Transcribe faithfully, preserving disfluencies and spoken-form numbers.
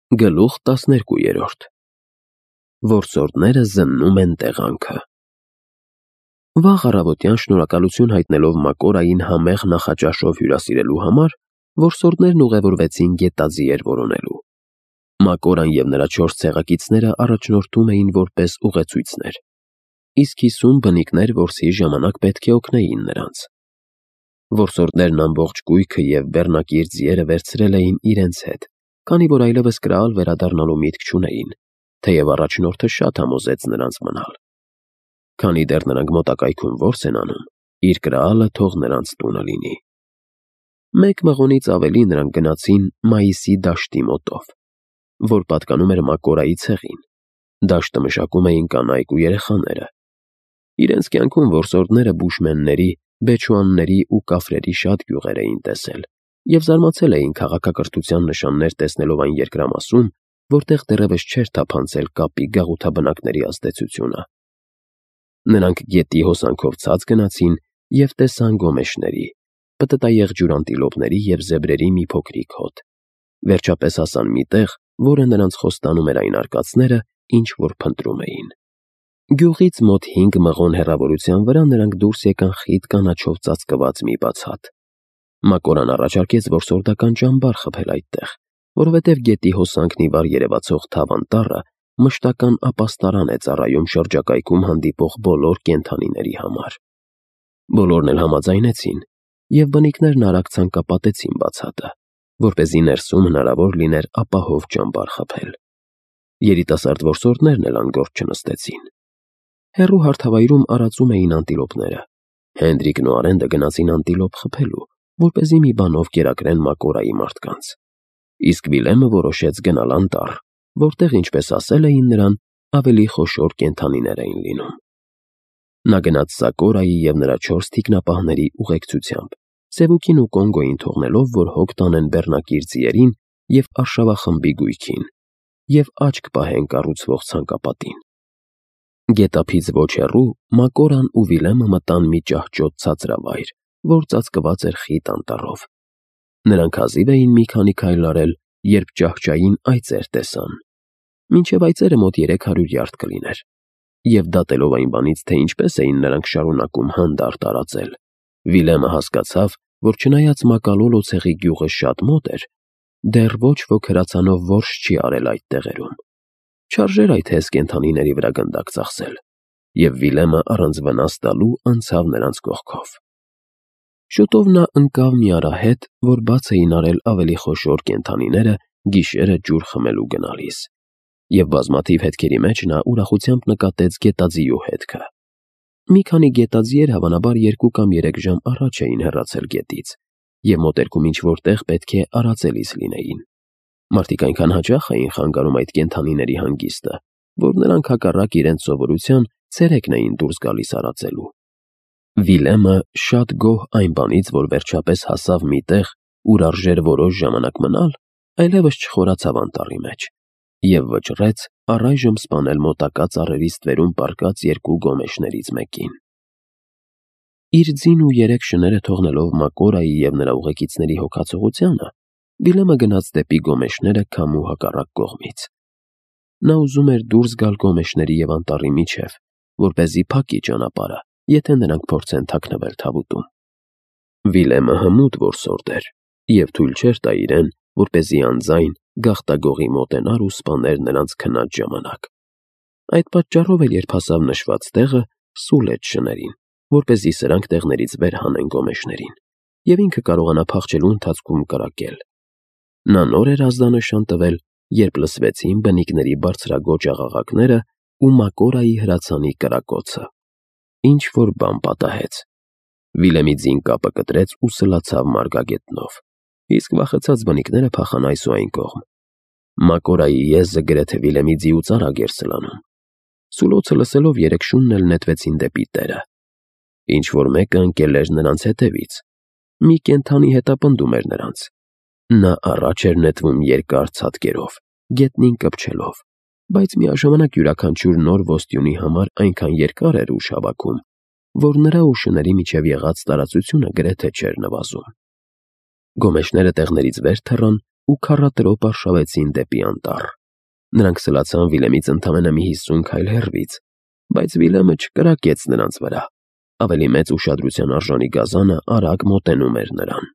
Գլուխ տասներկուերորդ Որսորդները զննում են տեղանքը։ Վաղ առավոտյան շնորհակալություն հայտնելով Մակորային համեղ նախաճաշով հյուրասիրելու համար, որսորդներն ուղևորվեցին գետաձիեր որոնելու։ Մակորան և նրա չորս ցեղակիցները առաջնորդում էին որպես ուղեցույցներ, իսկ հիսուն բնիկներ որսի ժամանակ պետք է օգնեին նրանց։ Որսորդներն ամբողջ կույքը և բեռնակիր ձիերը վերցրել էին իրենց հետ, քանի որ այլևս կրալ վերադառնալու միտք չունեին, թեև առաջնորդը շատ համոզեց նրանց մնալ։ Քանի դեռ նրանք մոտակայքում որս են անում, իր կրալը թող նրանց տունը լինի։ Մեկ մղոնից ավելի նրանք գնացին Մայիսի դաշտի մոտով, որ պատկանում էր Մակորայի ցեղին։ Դաշտը մշակում էին կանայք ու երեխաները։ Իրենց կյանքում որսորդները բուշմենների, բեչուանների ու կաֆրերի շատ գյուղեր էին տեսել և զարմացել էին քաղաքակրթության նշաններ տեսնելով այն երկրամասում, որտեղ դեռևս չէր թափանցել կապի գաղութաբնակների ազդեցությունը։ Նրանք գետի հոսանքով ցած գնացին և տեսան գոմեշների, պտտաեղջյուր անտիլոպների և զեբրերի մի փոքրիկ հոտ։ Վերջապես հասան մի տեղ, որը նրանց խոստանում էր այն արկածները, ինչ որ փնտրում էին։ Գյուղից մոտ հինգ մղոն հեռավորության վրա նրանք դուրս եկան խիտ կանաչով ծածկված մի բաց հատ։ Մակորան առաջարկեց որսորդական ճամբար խփել այդտեղ, որովհետև գետի հոսանքն ի վար երևացող թավ անտառը մշտական ապաստարան է ծառայում շրջակայքում հանդիպող բոլոր կենդանիների համար։ Բոլորն էլ համաձայնեցին, և բնիկներն արագ ցանկապատեցին բացատը, որպեսզի ներսում հնարավոր լիներ ապահով ճամբար խփել։ Երիտասարդ որսորդներն էլ անգործ չնստեցին։ Հեռու հարթավայրում արածում էին անտիլոպները։ Հենդրիկն ու Արենդը գնացին անտիլոպ խփելու, որպեսզի մի բանով կերակրեն Մակորայի մարդկանց։ Իսկ Վիլեմը որոշեց գնալ անտառ, որտեղ, ինչպես ասել էին նրան, ավելի խոշոր կենդանիներ էին լինում։ Նա գնաց Սակորայի և նրա չորս թիկնապահների ուղեկցությամբ, Սևուկին ու Կոնգոյին թողնելով, որ հոգ տանեն բեռնակիր ձիերին և արշավախմբի գույքին, և աչք պահեն կառուցվող ցանկապատին։ Գետափից ոչ հեռու Մակորան ու Վիլեմը մտան մի ճահճոտ ցածրավայր, որ ծածկված էր խիտ անտառով։ Նրանք հազիվ էին մի քանի քայլ արել, երբ ճահճային այծեր տեսան։ Մինչև այծերը մոտ երեք հարյուր յարդ կլիներ, և դատելով այն բանից, թե ինչպես էին նրանք շարունակում հանդարտ տարածել, Վիլեմը հասկացավ, որ չնայած Մակալոլո ցեղի գյուղը շատ մոտ էր, դեռ ոչ ոք հրացանով որս չի արել այդ տեղերում։ Չարժեր այդ հեզ կենդանիների վրա գնդակ ծախսել, և Վիլեմը առանց վնաս տալու անցավ նրանց կողքով։ Շուտով նա ընկավ մի արահետ, որ բաց էին արել ավելի խոշոր կենդանիները գիշերը ջուր խմելու գնալիս, և բազմաթիվ հետքերի մեջ նա ուրախությամբ նկատեց գետաձիու հետքը։ Մի քանի գետաձիեր հավանաբար երկու կամ երեք ժամ առաջ էին հեռացել գետից, և մոտերքում ինչ-որ տեղ պետք է արածելիս լինեին։ Մարդիկ այնքան հաճախ էին խանգարում այդ կենդանիների հանգիստը, որ նրանք հակառակ իրենց սովորության ցերեկն էին դուրս գալիս արածելու։ Վիլեմը շատ գոհ այն բանից, որ վերջապես հասավ մի տեղ, ուր արժեր որոշ ժամանակ մնալ, այլևս չխորացավ անտառի մեջ և վճռեց առայժմ սպանել մոտակա ծառերի ստվերում պառկած երկու գոմեշներից մեկին։ Իր ձին ու երեք շները թողնելով Մակորայի և նրա ուղեկիցների հոգացողությանը, Վիլեմը գնաց դեպի գոմեշները քամու հակառակ կողմից։ Նա ուզում էր դուրս գալ գոմեշների և անտառի միջև, որպեսզի փակի ճանապարհը, եթե նրանք փորձեն թաքնվել թավուտում։ Վիլեմը հմուտ որսորդ էր և թույլ չէր տա իրեն, որպեսզի անձայն գաղտագողի մոտենար ու սպաներ նրանց քնած ժամանակ։ Այդ պատճառով էլ երբ հասավ նշված տեղը, սուլեց շներին, որպեսզի սրանք տեղներից վեր հանեն գոմեշներին, և ինքը կարողանա փախչելու ընթացքում կրակել։ Նա նոր էր ազդանշան տվել, երբ լսվեցին բնիկների բարձրաձոչ աղաղակները ու Մակորայի հրացանի կրակոցը։ Ինչ-որ բան պատահեց։ Վիլեմի ձին կապը կտրեց ու սլացավ մարգագետնով, իսկ վախեցած բնիկները փախան այս ու այն կողմ։ Մակորայի եզը գրեթե Վիլեմի ձիուց արագ էր սլանում։ Սուլոցը լսելով երեք շունն էլ նետվեցին դեպի տերը։ Ինչ-որ մեկը ընկել էր նրանց հետևից։ Մի կենդանի հետապնդում էր նրանց։ Նա առաջ էր նետվում երկար ցատկերով, գետնին կպչելով, բայց միաժամանակ յուրաքանչյուր նոր ոստյունի համար այնքան երկար էր ուժ հավաքում, որ նրա ու շների միջև եղած տարածությունը գրեթե չէր նվազում։ Գոմեշները տեղներից վեր թռան ու քառատրոփ արշավեցին դեպի անտառ։ Նրանք սլացան Վիլեմից ընդամենը մի հիսուն քայլ հեռվից, բայց Վիլեմը չկրակեց նրանց վրա։ Ավելի մեծ ուշադրության արժանի գազանը արագ մոտենում էր նրան։